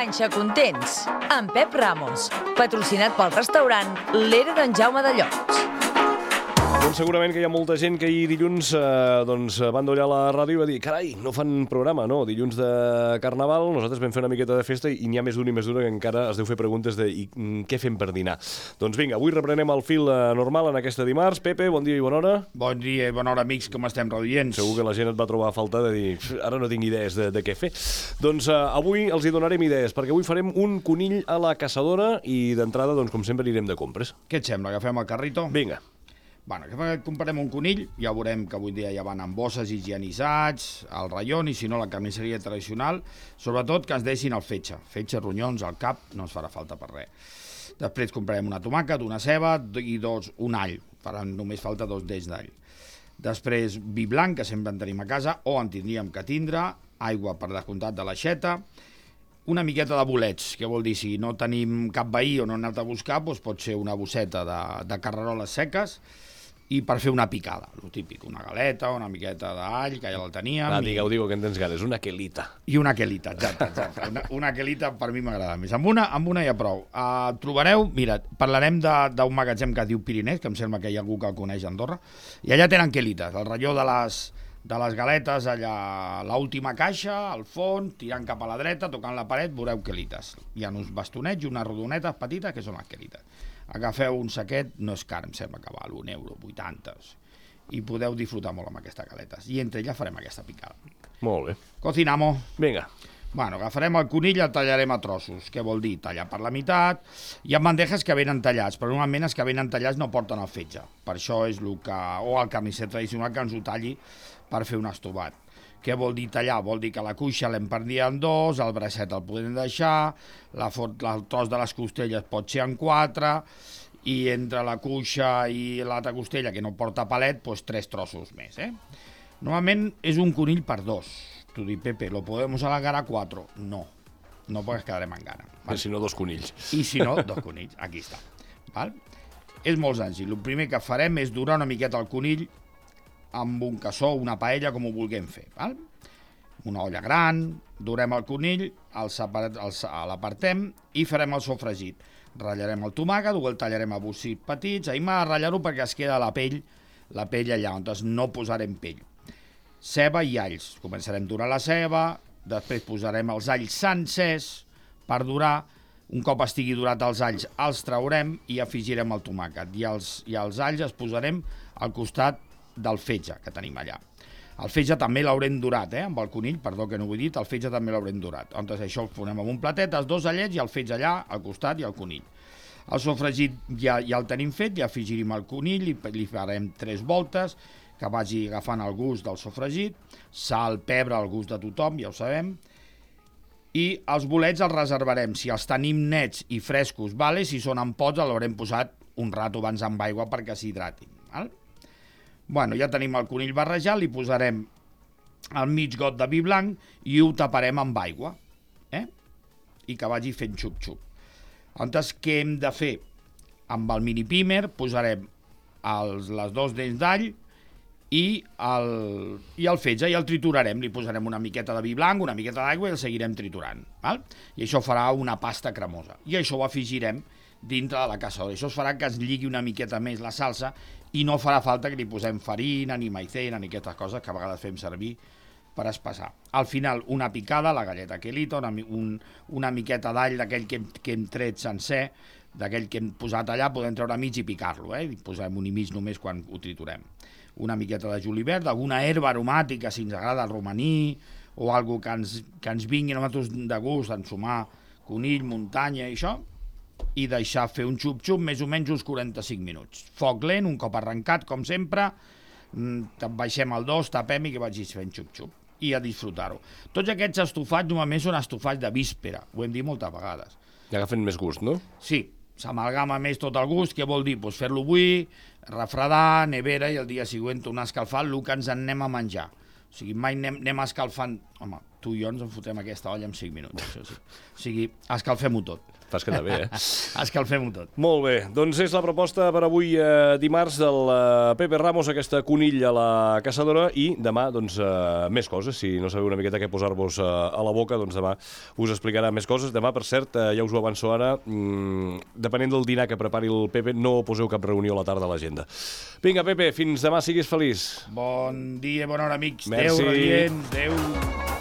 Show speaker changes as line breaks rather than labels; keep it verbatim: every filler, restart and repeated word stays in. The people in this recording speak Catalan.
Panxa Contents, amb Pep Ramos, patrocinat pel restaurant L'Era d'en Jaume de Llocs.
Doncs segurament que hi ha molta gent que ahir dilluns eh, doncs, van dollar la ràdio i va dir carai, no fan programa, no? Dilluns de Carnaval, nosaltres vam fer una miqueta de festa i n'hi ha més d'un i més d'una que encara es deu fer preguntes de i, què fem per dinar. Doncs vinga, avui reprenem el fil eh, normal en aquesta dimarts. Pepe, bon dia i bona hora.
Bon dia i bona hora, amics, com estem, radiants?
Segur que la gent et va trobar a faltar de dir ara no tinc idees de, de què fer. Doncs eh, avui els hi donarem idees, perquè avui farem un conill a la caçadora i d'entrada, doncs, com sempre, anirem de compres.
Què et sembla? Agafem el carrito?
Vinga.
Bueno, que comprarem un conill, ja veurem que avui dia ja van amb bosses higienitzats, al raion, i si no la carnisseria tradicional, sobretot que ens deixin el fetge, fetge, ronyons, al cap, no ens farà falta per res. Després comprarem una tomàquet, una ceba i dos, un all, faran només falta dos dents d'all. Després vi blanc, que sempre en tenim a casa, o en tindríem que tindre, aigua per descomptat de l'aixeta, una miqueta de bolets, que vol dir, si no tenim cap veí o no hem anat a buscar, doncs pot ser una bosseta de, de carreroles seques, i per fer una picada, el típic, una galeta, una miqueta d'all, que ja la teníem.
Ah, digueu, digueu, que en tens ganes, una quelita.
I una quelita, exacte, exacte. Una, una quelita per mi m'agrada més. Amb una, amb una ja prou. Uh, trobareu, mira, parlarem d'un magatzem que diu Pirinès, que em sembla que hi ha algú que el coneix a Andorra, i allà tenen quelites, el ratlló de les, de les galetes, allà l'última caixa, al fons, tirant cap a la dreta, tocant la paret, veureu quelites. Hi ha uns bastonets i unes rodonetes petites que són les quelites. Agafeu un saquet, no és car, em sembla que val un euro, vuitanta, i podeu disfrutar molt amb aquestes galetes. I entre elles farem aquesta picada.
Molt bé.
Cocinamos.
Vinga.
Bueno, agafarem el conill i el tallarem a trossos, què vol dir? Tallar per la meitat. Hi ha bandejes que venen tallats, però normalment els que venen tallats no porten el fetge. Per això és el que... o el carnisser tradicional que ens ho talli per fer un estovat. Què vol dir tallar? Vol dir que la cuixa l'hem partit en dos, el bracet el podem deixar, la fort, el tros de les costelles pot ser en quatre, i entre la cuixa i l'altra costella, que no porta palet, doncs tres trossos més. Eh? Normalment és un conill per dos. Tu dius, Pepe, ¿lo podemos alargar a cuatro? No, no perquè quedarem en gana.
Val? Si no, dos conills.
I si no, dos conills. Aquí està. Val? És molt senzill. El primer que farem és dorar una miqueta el conill amb un cassó, una paella, com ho vulguem fer. Val? Una olla gran, durem el conill, l'apartem i farem el sofregit. Ratllarem el tomàquet, o el tallarem a bossits petits, ahir m'ha de ratllar-ho perquè es queda la pell, la pell allà, on no posarem pell. Ceba i alls. Començarem a durar la ceba, després posarem els alls sencers per durar. Un cop estigui durat els alls, els traurem i afegirem el tomàquet. I els, i els alls els posarem al costat del fetge que tenim allà. El fetge també l'haurem durat, eh, amb el conill, perdó que no ho he dit, el fetge també l'haurem durat. Doncs això ho posem en un platet, els dos allets i el fetge allà, al costat, i el conill. El sofregit ja, ja el tenim fet, ja afegirem el conill, i li farem tres voltes, que vagi agafant el gust del sofregit, sal, pebre, al gust de tothom, ja ho sabem, i els bolets els reservarem, si els tenim nets i frescos, vale? Si són en pots, l'haurem posat un rato abans amb aigua perquè s'hidratin. Val? Bueno, ja tenim el conill barrejat, li posarem el mig got de vi blanc i ho taparem amb aigua, eh? I que vagi fent xup-xup. Llavors, què hem de fer? Amb el mini pimer posarem els, les dos dents d'all i el, i el fetge, i el triturarem. Li posarem una miqueta de vi blanc, una miqueta d'aigua i el seguirem triturant. Val? I això farà una pasta cremosa. I això ho afegirem dintre de la caçadora. Això es farà que es lligui una miqueta més la salsa i no farà falta que li posem farina, ni maicena, ni aquestes coses que a vegades fem servir per espessar. Al final, una picada, la galleta quelita, una, un, una miqueta d'all d'aquell que, que hem tret sencer, d'aquell que hem posat allà, podem treure mig i picar-lo, eh? I posem un i mig només quan ho triturem. Una miqueta de julivert, alguna herba aromàtica, si ens agrada el romaní, o algo que ens, que ens vingui a nosaltres de gust, ensumar conill, muntanya i això, i deixar fer un xup-xup més o menys uns quaranta-cinc minuts. Foc lent, un cop arrencat, com sempre, baixem al dos, tapem i que vagi fent xup-xup. I a disfrutar-ho. Tots aquests estofats normalment són estofats de víspera, ho hem dit moltes vegades.
I agafen més gust, no?
Sí, s'amalgama més tot el gust. Què vol dir? Pues fer-lo avui, refredar, nevera, i el dia següent tornar a escalfar el que ens en anem a menjar. O sigui, mai anem, anem escalfant... Home, tu i jo ens en fotem aquesta olla en cinc minuts. Això sí. O sigui, escalfem-ho tot.
T'has quedat bé, eh?
Escalfem-ho tot.
Molt bé, doncs és la proposta per avui eh, dimarts del eh, Pepe Ramos, aquesta conill a la caçadora, i demà, doncs, eh, més coses. Si no sabeu una miqueta què posar-vos eh, a la boca, doncs demà us explicarà més coses. Demà, per cert, eh, ja us ho avanço ara, mmm, depenent del dinar que prepari el Pepe, no poseu cap reunió a la tarda a l'agenda. Vinga, Pepe, fins demà, siguis feliç.
Bon dia, bona hora, amics.
Merci.
Adéu, radiants. Adéu.